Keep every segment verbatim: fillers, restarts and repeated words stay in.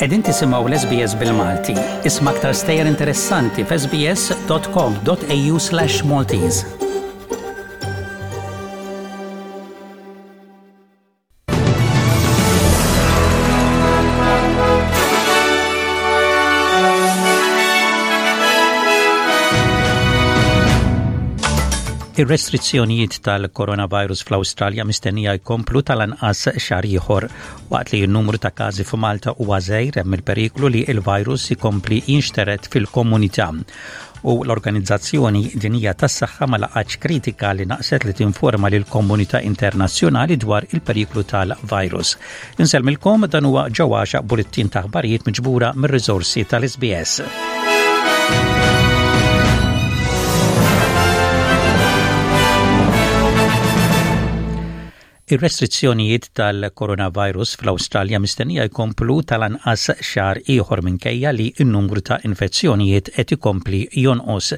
Qegħdin tisimgħu l-S B S bil-Malti. Isma' aktar stejjer interessanti f'S B S dot com dot A U slash Maltese. Ir-restrizzjonijiet tal-coronavirus fl-Awstralja mistennija jkomplu tal-anqas xahar ieħor, waqt li n-numru ta' każi f'Malta huwa żgħir. Hemm il-periklu li l-virus ikompli jinxtered fil-komunità. U l-Organizzazzjoni Dinjija tas-Saħħa ma laqatx kritika li naqset li tinforma lil komunità internazzjonali dwar il-periklu tal-virus. Insellmilkom, dan huwa ġewwaxa bullettin ta' aħbarijiet miġbura mir-riżorsi tal-S B S. Ir-restrizzjonijiet tal-coronavirus fl-Awstralja mistennija jkomplu tal-anqas xahar ieħor minkejja li n-numru ta' infezzjonijiet qed ikompli jonqos.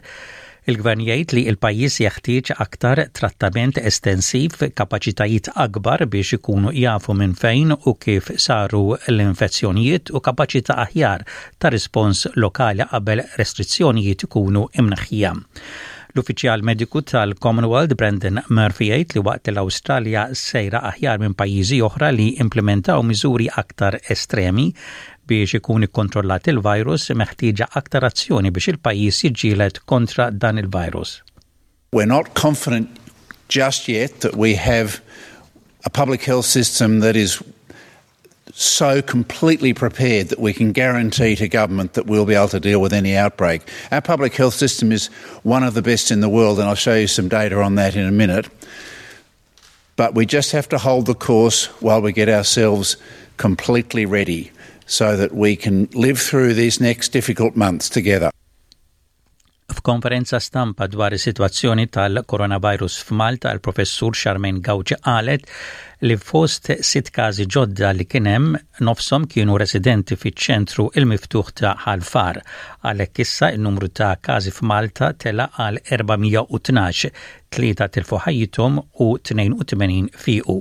Il-gvern jgħid li l-pajjiż jeħtieġ aktar trattament estensiv, kapaċitajiet akbar biex ikunu jafu minn fejn u kif saru l-infezzjonijiet u kapaċità aħjar ta' rispons lokali qabel restrizzjonijiet ikunu imneħħija. L-uffiċjal mediku tal-Commonwealth Brendan Murphy jgħid li waqt l-Awstralja sejra aħjar minn pajjiżi oħra li implementaw miżuri aktar estremi biex ikun ikkontrollat il-virus, meħtieġa aktar azzjoni biex il-pajjiż jiġġieled kontra dan il-virus. We're not confident just yet that we have a public health system that is so completely prepared that we can guarantee to government that we'll be able to deal with any outbreak. Our public health system is one of the best in the world, and I'll show you some data on that in a minute. But we just have to hold the course while we get ourselves completely ready so that we can live through these next difficult months together. F'konferenza stampa dwar is-sitwazzjoni tal-coronavirus f'Malta, il-professur Charmaine Gauci qalet li fost sitt każi ġodda li kien hemm, nofshom kienu residenti fiċ-ċentru il-miftuħ ta' Ħal Far. Għalhekk issa n-numru ta' każi f'Malta tela għal erba' mija u tnax, tlieta tilfu ħajjithom u tnejn u tmenin fiqu.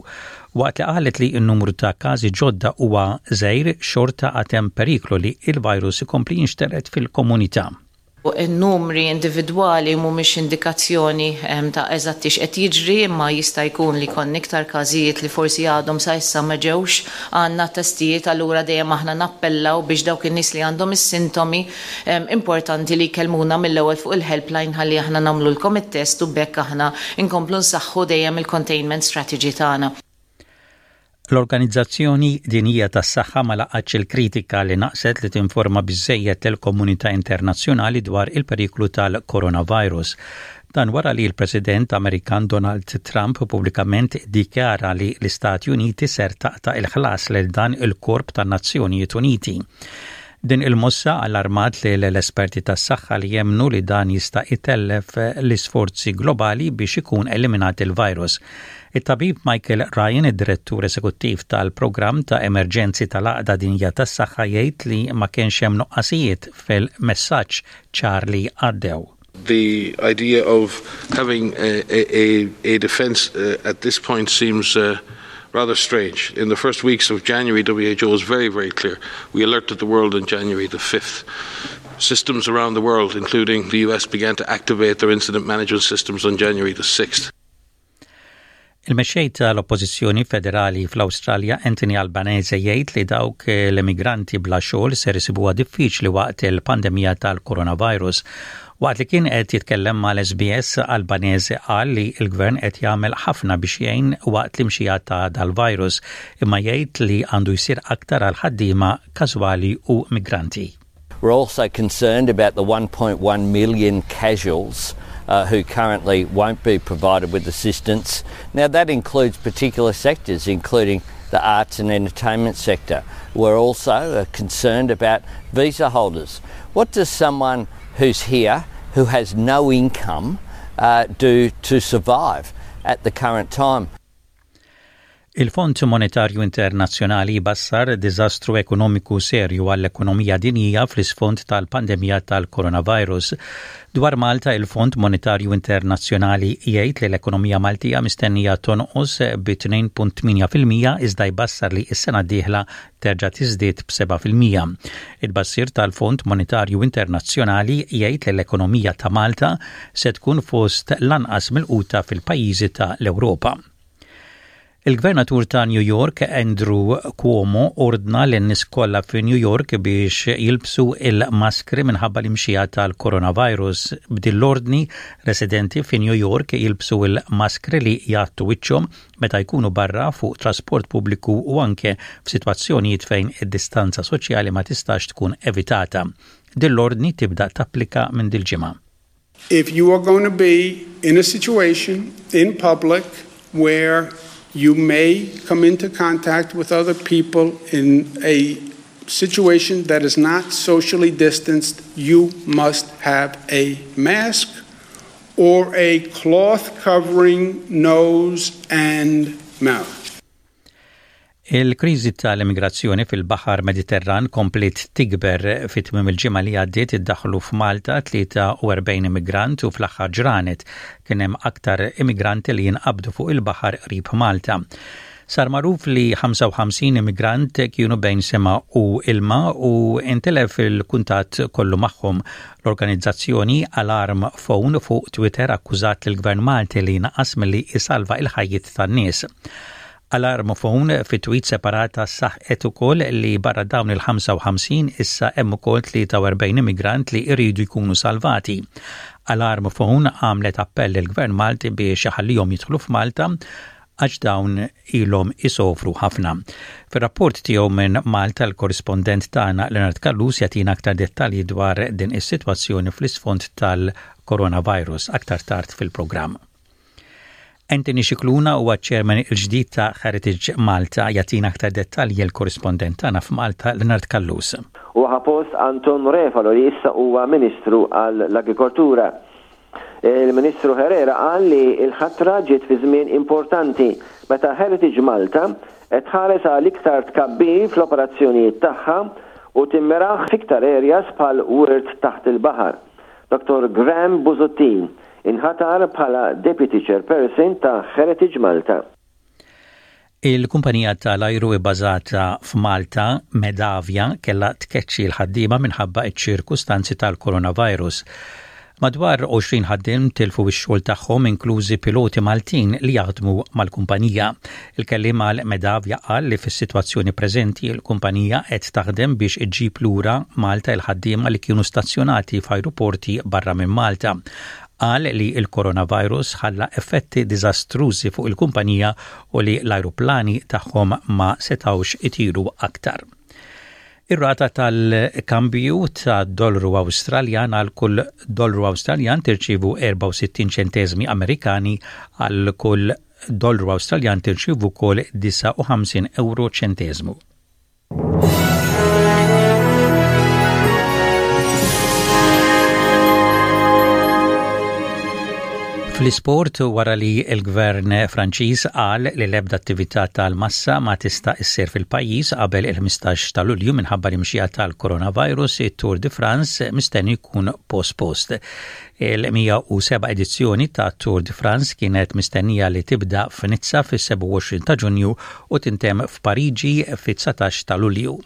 Waqt li qalet li n-numru ta' każi ġodda huwa żgħir, xorta għad hemm periklu li il-virus ikompli jinxtered fil-komunità. In-numri individwali mhumiex indikazzjoni ta' eżatti x'qed jiġri, imma jista' jkun li jkollna iktar każijiet li forsi għadhom sa issa ma ġewx għandna testijiet. Allura dejjem aħna nappellaw biex dawk in-nies li għandhom is-sintomi, importanti li jkellmuna mill-ewwel fuq il-helpline ħalli aħna nagħmlulkom it-test u b'hekk aħna nkomplu nsaħħu dejjem il-containment strategy tagħna. L-Organizzazzjoni Dinjija tas-Saħħa ma laqatx il-kritika li naqset li tinforma biżejjed l-komunità internazzjonali dwar il-periklu tal-coronavirus. Dan wara li l-President Amerikan Donald Trump pubblikament dikjara li l-Istati Uniti ser taqta' il-ħlas lil dan il-korp tan-Nazzjonijiet Uniti. Din il-mossa allarmat li l-esperti tas-saħħa li jemnu li dan jista' itellef l-isforzi globali biex ikun eliminat il-virus. Il-tabib Michael Ryan, id-direttur eżekuttiv tal-programm ta' emerġenzi tal-Għaqda Dinjija tas-Saħħa, jgħid li ma kienx hemm nuqqasijiet fil-messaġġ ċar li għaddew. The idea of having a, a, a defense uh, at this point seems uh, rather strange. In the first weeks of January, W H O was very, very clear. We alerted the world on January the fifth. Systems around the world, including the U S, began to activate their incident management systems on January the sixth. Il-mexxej tal-Oppożizzjoni Federali fl-Awstralja Anthony Albanese jgħid li dawk l-immigranti bla xogħol ser isibuha diffiċli waqt il-pandemija tal-coronavirus. Waqt li kien qed jitkellem mal-S B S, Albanese qal li l-gvern qed jagħmel ħafna biex jgħin waqt l-imxija ta' dal-virus, imma jgħid li għandu jsir aktar għal ħaddiema każwali u migranti. We're also concerned about the one point one million casuals uh, who currently won't be provided with assistance. Now, that includes particular sectors, including the arts and entertainment sector. We're also uh, concerned about visa holders. What does someone who's here, who has no income, uh, do to survive at the current time? Il-Fond Monetarju Internazzjonali bassar diżastru ekonomiku serju għall-ekonomija dinjija fl-isfond tal-pandemija tal-coronavirus. Dwar Malta, il-Fond Monetarju Internazzjonali jgħid li l-ekonomija Maltija mistennija tonqos bi tnejn punt tmienja fil-mija, iżda jbassar li s-sena d-dieħla terġa' tiżdied b'sebgħa fil-mija. Il-bassir tal-Fond Monetarju Internazzjonali jgħid li l-ekonomija ta' Malta se tkun fost l-anqas milquta fil-pajjiżi ta' l-Ewropa. Il-gvernatur ta' New York, Andrew Cuomo, ordna lin-nies kollha fi New York biex jilbsu il-maskri minħabba l-imxija tal-coronavirus. B'din l-ordni, residenti fi New York jilbsu il-maskri li jgħattu wiċċhom meta jkunu barra fuq trasport pubbliku u anke f'sitwazzjonijiet fejn id-distanza soċjali ma tistax tkun evitata. Din l-ordni tibda tapplika minn dil-ġimgħa. If you are going to be in a situation in public where you may come into contact with other people in a situation that is not socially distanced, you must have a mask or a cloth covering nose and mouth. Il-kriżi tal-immigrazzjoni fil-Baħar Mediterran kompliet tikber. Fit tmiem il-ġimgħa li għaddiet iddaħlu f'Malta tlieta u erbgħin immigrant u fl-aħħar ġranet kien hemm aktar immigranti li jinqabdu fuq il-baħar qrib Malta. Sar magħruf li ħamsa u ħamsin immigrant kienu bejn sema u ilma u intilef il-kuntatt kollu magħhom. L-organizzazzjoni Alarm Phone fuq Twitter akkużat l-Gvern Malti li naqas milli isalva il-ħajjiet tan-nies. Alarm Phone fi tweet separata saħqet ukoll li barra dawn il-ħamsa u ħamsin issa hemm ukoll tlieta u erbgħin immigrant li jridu jkunu salvati. Alarm Phone għamlet appell lill-Gvern Malti biex iħallihom jidħlu f'Malta għax dawn ilhom isofru ħafna. Fir-rapport tiegħu minn Malta, l-korrispondent tagħna Leonard Callus jagħtina aktar dettalji dwar din is-sitwazzjoni fl-isfond tal-coronavirus aktar tard fil-programm. Anthony Scicluna huwa chairman il-ġdid ta' Heritage Malta. Jagħtina aktar dettalji l-korrispondent tagħna f'Malta, Leonard Callus. U ħa post Anton Refalo, li issa huwa Ministru għall-Agrikoltura. Il-Ministru Herrera qal li il-ħatra ġiet fi żmien importanti meta Heritage Malta qed tħares għal iktar tkabbir fl-operazzjonijiet tagħha u timmiraħ fiktar areas bħal wirt taħt il-baħar. Doktor Graham Busuttil inħatar bħala Deputy Chairperson ta' Heritage Malta. Il-kumpanija tal-ajru bbażata f'Malta, Medavia, kella tkeċċi l-ħaddiema minħabba ċ-ċirkustanzi tal-coronavirus. Madwar għoxrin ħaddiem tilfu x-xogħol tagħhom, inklużi piloti Maltin li jaħdmu mal-kumpanija. Il-kelliem għal Medavia qal li fis-sitwazzjoni preżenti l-kumpanija qed taħdem biex iġġib lura Malta il-ħaddiema li kienu stazzjonati f'ajruporti barra minn Malta. Qal li il-coronavirus ħalla effetti diżastrużi fuq il-kumpanija u li l-ajruplani tagħhom ma setawx itiru aktar. Ir-rata tal-kambju ta' dollaru Awstraljan: għal kull dollaru Awstraljan tirċivu erbgħa u sittin ċentesmi Amerikani, għal kull dollaru Awstraljan tirċivu wkoll disgħa u ħamsin euro ċentesmu. Fl-isport, wara li l-gvern Franċiż qal li l-ebda attività tal-massa ma tista' issir fil-pajjiż qabel il-ħmistax ta' Lulju minħabba l-imxija tal-coronavirus, it-Tour de France mistenni jkun pospost. Il-mija u seba' edizzjoni ta' Tour de France kienet mistennija li tibda f'Nizza fis-sebgħa u għoxrin ta' Ġunju u tintemm f'Pariġi fit-dsatax ta' Lulju.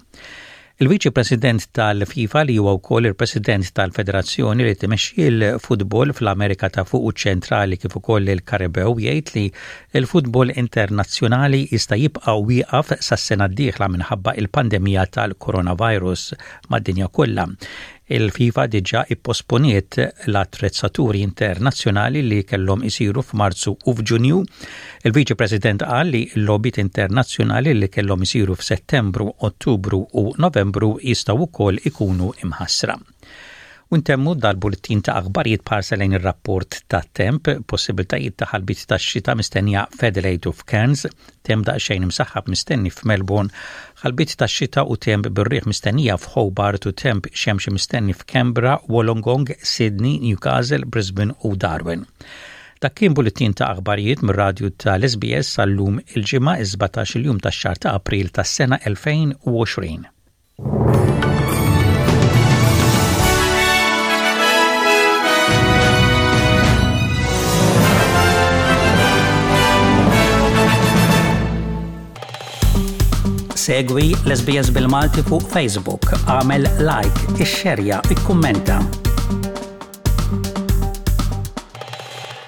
Il-Viċi President tal-FIFA, li huwa wkoll il-President tal-Federazzjoni li timexxi l-futbol fl-Amerika ta' Fuq u Ċentrali kif ukoll il-Karibew, jgħid li l-futbol internazzjonali jista' jibqa' wieqaf sas-sena d-dieħla minħabba il-pandemija tal-coronavirus mad-dinja kollha. Il-FIFA diġà ipposponiet l-attrezzaturi internazzjonali li kellhom isiru f'Marzu u f'Ġunju. Il-Viċi President qal li l-logħbiet internazzjonali li kellhom isiru f'Settembru, Ottubru u Novembru jistgħu wkoll ikunu imħassra. U ntemmu dal-bulletin ta' aħbarijiet b'ħarsa lejn ir-rapport ta' temp: possibiltajiet ta' ħalbiet ta' xita mistennija f'Adelaide u f'Cairns, temp daqsxejn imsaħħab mistenni f'Melbourne, ħalbiet ta' xita u temp bir-riħ mistennija f'Hobart u temp xemxi mistenni f'Canberra, Wollongong, Sydney, Newcastle, Brisbane u Darwin. Dak kien bulletin ta' aħbarijiet mir-radju tal-S B S għal-lum, il-Ġimgħa, is-sbatax-il jum tax-xahar ta' April tas-sena elfejn u għoxrin. Segwi l-S B S bil-Malti fuq Facebook, għamel like, ixxerja, ikkummenta.